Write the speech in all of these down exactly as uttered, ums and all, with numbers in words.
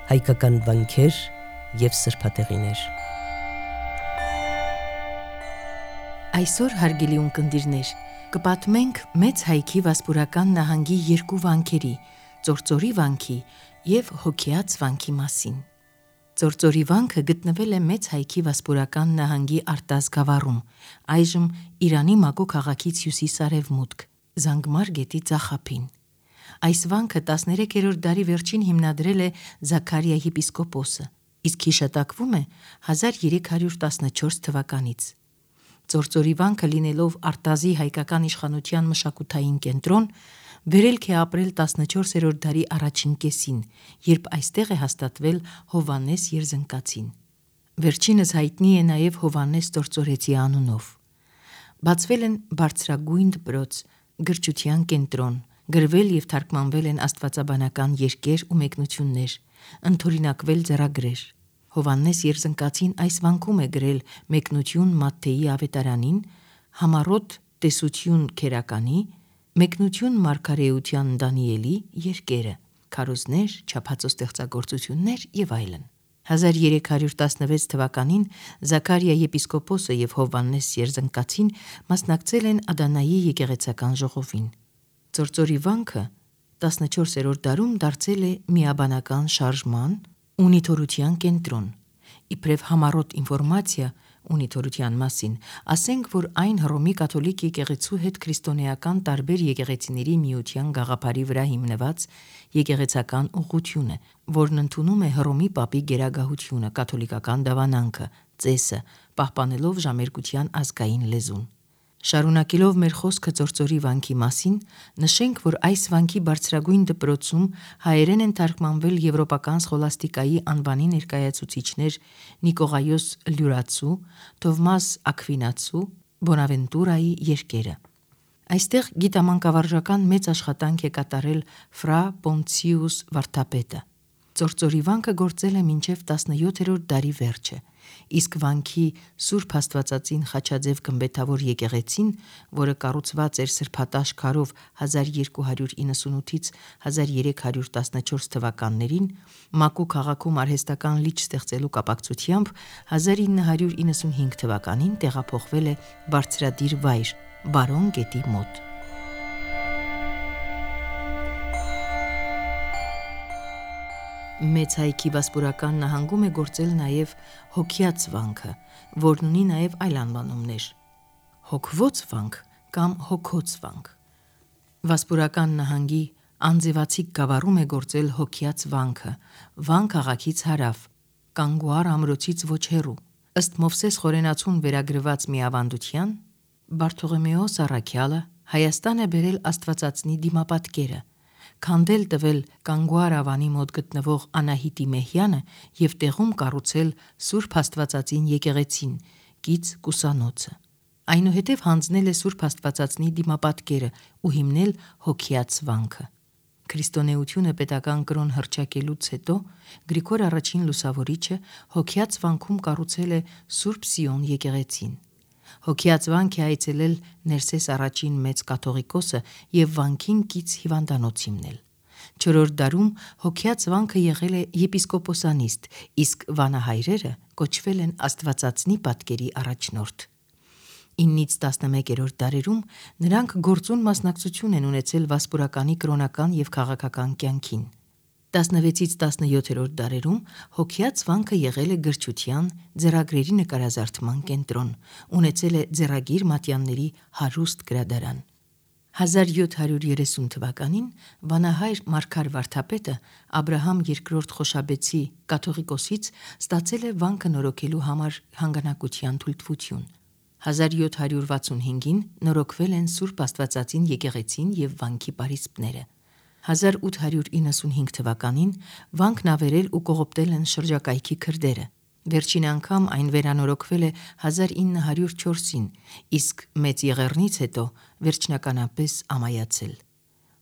հայկական վանքեր և սրբատեղիներ։ Այսօր հարգելի ունկնդիրներ, կպատմենք մեծ հայքի Վասպուրական նահանգի երկու վանքերի՝ Ծործորի վանքի և Հոգեաց վանքի մասին։ Ծործորի վանքը գտնվել է մեծ հայքի Վասպուրական նահանգի Արտազ գավառում, այժմ Իրանի Մակո քաղաքից հյուսիս-արևմուտք, Զանգմար գետի ձախափին։ Այս վանքը տասներեքերորդ դարի վերջին հիմնադրել է Զաքարիա եպիսկոպոսը, իսկ հիշատակվում է հազար երեք հարյուր տասնչորս թվականից։ Ծործորի վանքը լինելով Արտազի հայկական իշխանության մշակութային կենտրոն, վերելք է ապրել տասնչորսերորդ դարի առաջին կեսին, երբ այստեղ է հաստատվել Հովհաննես Երզնկացին։ Վերջինս հայտնի է նաև Հովհաննես Ծործորեցի անունով։ Բացվել են բարձրագույն դպրոց, գրչության կենտրոն, գրվել և թարգմանվել են աստվածաբանական երկեր ու մեկնություններ, ընդօրինակվել ձեռագրեր։ Հովհաննես Երզնկացին այս վանքում է գրել մեկնություն Մատթեի ավետարանին, համառոտ տեսություն քերականի, մեկնություն մարգարեության Դանիելի երկերը, քարոզներ, չափածո ստեղծագործություններ և այլն։ հազար երեք հարյուր տասնվեց թվականին Զաքարիա եպիսկոպոսը և Հովհաննես Երզնկացին մասնակցել են Ադանայի եկեղեցական ժողովին։ Ծործորի վանքը տասնչորսերորդ դարում դարձել է միաբանական շարժման ու նիթորության կենտրոն։ Իբրև համառոտ ինֆորմացիա ունիթորության մասին, ասենք, որ այն Հռոմի կաթոլիկ եկեղեցու հետ քրիստոնեական տարբեր եկեղեցիների միության գաղափարի վրա հիմնված եկեղեցական ուղղություն է, որն ընդունում է Հռոմի պապի գերագահությունը, կաթոլիկական դավանանքը, ծեսը, պահպանելով ժամերգության ազգային լեզուն։ Շարունակելով մեր խոսքը Ծործորի վանքի մասին, նշենք, որ այս վանքի բարձրագույն դպրոցում հայերեն են թարգմանվել եվրոպական սխոլաստիկայի անվանի ներկայացուցիչներ Նիկողայոս Լյուրացու, Թովմաս Աքվինացու, Բոնավենտուրայի երկերը։ Այստեղ գիտամանկավարժական մեծ աշխատանք է կատարել Ֆրա Պոնցիուս վարդապետը։ Ծործորի վանքը գործել է մինչև տասնյոթերորդ դարի վերջը, իսկ վանքի Սուրբ Աստվածածին խաչաձև գմբեթավոր եկեղեցին, որը կառուցված էր սրբատաշ քարով հազար երկու հարյուր իննսունութից հազար երեք հարյուր տասնչորս թվականներին, Մակո քաղաքում արհեստական լիճ ստեղծելու կապակցությամբ հազար ինը հարյուր իննսունհինգ թվականին տեղափոխվել է բարձրադիր վայր՝ Բարոն գետի մոտ։ Մեծ հայքի Վասպուրական նահանգում է գործել նաև Հոգեաց վանքը, որն ունի նաև այլ անվանումներ՝ Հոգվոց վանք կամ Հոգոց վանք։ Վասպուրական նահանգի Անձևացիկ գավառում է գործել Հոգեաց վանքը, Վան քաղաքից հարավ, Կանգուար ամրոցից ոչ հեռու։ Ըստ Մովսես Խորենացուն վերագրված մի ավանդության, Բարթողոմեոս առաքյալը Հայաստան է բերել Աստվածածնի դիմապատկերը, քանդել տվել Կանգուար ավանի մոտ գտնվող Անահիտի Մեհյանը և տեղում կառուցել Սուրբ Աստվածածին եկեղեցին, կից կուսանոցը։ Այնուհետև հանձնել է Սուրբ Աստվածածնի դիմապատկերը ու հիմնել Հոգեաց վանքը։ Քրիստոնեությունը պետական կրոն հռչակելուց հետո Գրիգոր առաջին Լուսավորիչը Հոգեաց վանքում կառուցել է Սուրբ Սիոն եկեղեցին։ Հոգեաց վանք է այցելել Ներսես առաջին մեծ կաթողիկոսը և վանքին կից հիվանդանոց հիմնել։ Չորրորդ դարում Հոգեաց վանքը եղել է եպիսկոպոսանիստ, իսկ վանահայրերը կոչվել են Աստվածածնի պատկերի առաջնորդ։ իննից տասնմեկերորդ դարերում նրանք գործուն մասնակցություն են ունեցել Վասպուրականի կրոնական և քաղաքական կյանքին։ տասնվեցից տասնյոթերորդ դարերում Հոգեաց վանքը եղել է գրչության, ձեռագրերի նկարազարդման կենտրոն, ունեցել է ձեռագիր մատյանների հարուստ գրադարան։ հազար յոթ հարյուր երեսուն թվականին վանահայր Մարգար վարդապետը Աբրահամ երկրորդ Խոշաբեցի կաթողիկոսից ստացել է վանքը նորոգելու համար հանգանակության թույլտվություն։ հազար յոթ հարյուր վաթսունհինգին նորոգվել են Սուրբ Աստվածածին եկեղեցին և վանքի պարիսպները։ հազար ութ հարյուր իննսունհինգ թվականին վանքն ավերել ու կողոպտել են շրջակայքի քրդերը։ Վերջին անգամ այն վերանորոգվել է հազար ինը հարյուր չորսին, իսկ Մեծ Եղեռնից հետո վերջնականապես ամայացել։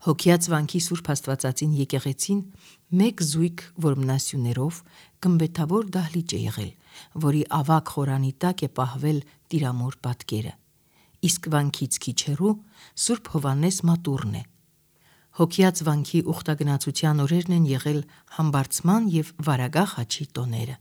Հոգեաց վանքի Սուրբ Աստվածածին եկեղեցին մեկ զույգ որմնասյուներով գմբեթավոր դահլիճ է եղել, որի ավագ խորանի տակ է պահվել Տիրամոր պատկերը, իսկ վանքից քիչ հեռու Սուրբ Հովհաննես մատուռն է։ հոգյած վանքի ուխտագնացության օրերն են եղել համբարձման և վարագահ հաչի տոները։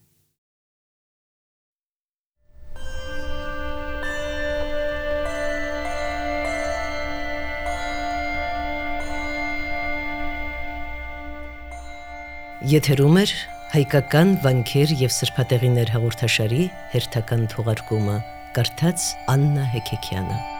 Եթերում էր հայկական վանքեր և սրբատեղիներ հաղորդաշարի հերթական թողարկումը, կարդաց Աննա Հեքեքյանը։